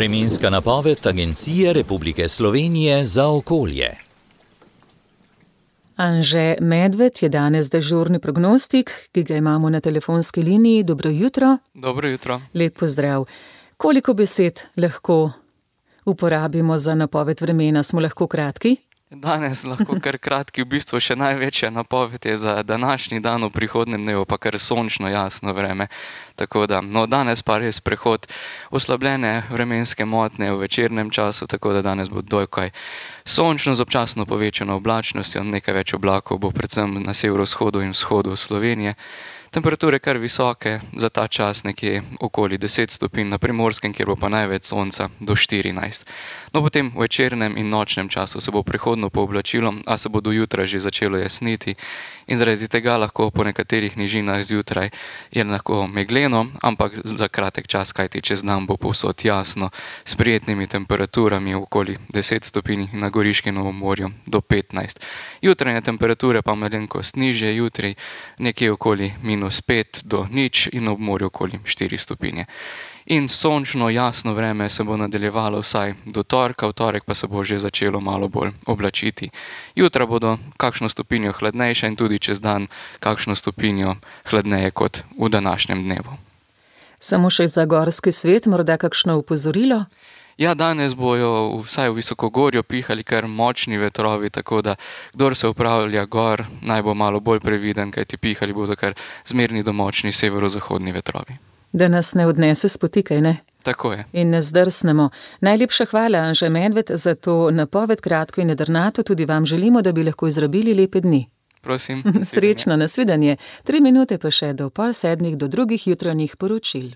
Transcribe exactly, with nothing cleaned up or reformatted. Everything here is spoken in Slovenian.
Vremenska napoved Agencije Republike Slovenije za okolje. Anže Medved je danes dežurni prognostik, ki ga imamo na telefonski liniji. Dobro jutro. Dobro jutro. Lep pozdrav. Koliko besed lahko uporabimo za napoved vremena? Smo lahko kratki? Danes lahko kar kratki, v bistvu še največja napoved je za današnji dan, v prihodnjem dnevu pa kar sončno jasno vreme. Tako da, no danes pa res prehod oslabljene vremenske motnje v večernem času, tako da danes bo dokaj sončno z občasno povečano oblačnostjo, nekaj več oblakov bo predvsem na severovzhodu in vzhodu Slovenije. Temperature kar visoke, za ta čas nekje okoli deset stopinj na Primorskem, kjer bo pa največ sonca do štirinajst. No potem v večernem in nočnem času se bo prehodno pooblačilo, a se bo do jutra že začelo jasniti in zaradi tega lahko po nekaterih nižinah zjutraj je lahko megleno, ampak za kratek čas, kajti čez dan bo povsod jasno, s prijetnimi temperaturami okoli deset stopinj na Goriškem Novem morju do petnajst. Jutranje temperature pa malenkost nižje, jutri nekje okoli minus pet do nič in ob morju okoli štiri stopinje. In sončno jasno vreme se bo nadaljevalo vsaj do torka, v torek pa se bo že začelo malo bolj oblačiti. Jutra bodo kakšno stopinjo hladnejše in tudi čez dan kakšno stopinjo hladneje kot v današnjem dnevu. Samo še za gorski svet, morda kakšno opozorilo? Ja, danes bojo vsaj v visokogorju pihali kar močni vetrovi, tako da kdor se upravlja gor, naj bo malo bolj previden, kajti pihali bodo kar zmerni do močni severozahodni vetrovi. Da nas ne odnese s poti, kaj ne? Tako je. In ne zdrsnemo. Najlepša hvala, Anže Medved, za to napoved kratko in jedrnato. Tudi vam želimo, da bi lahko izrabili lepe dni. Prosim. Srečno, nasvidenje. Tri minute pa še do pol sedmih do drugih jutranjih poročil.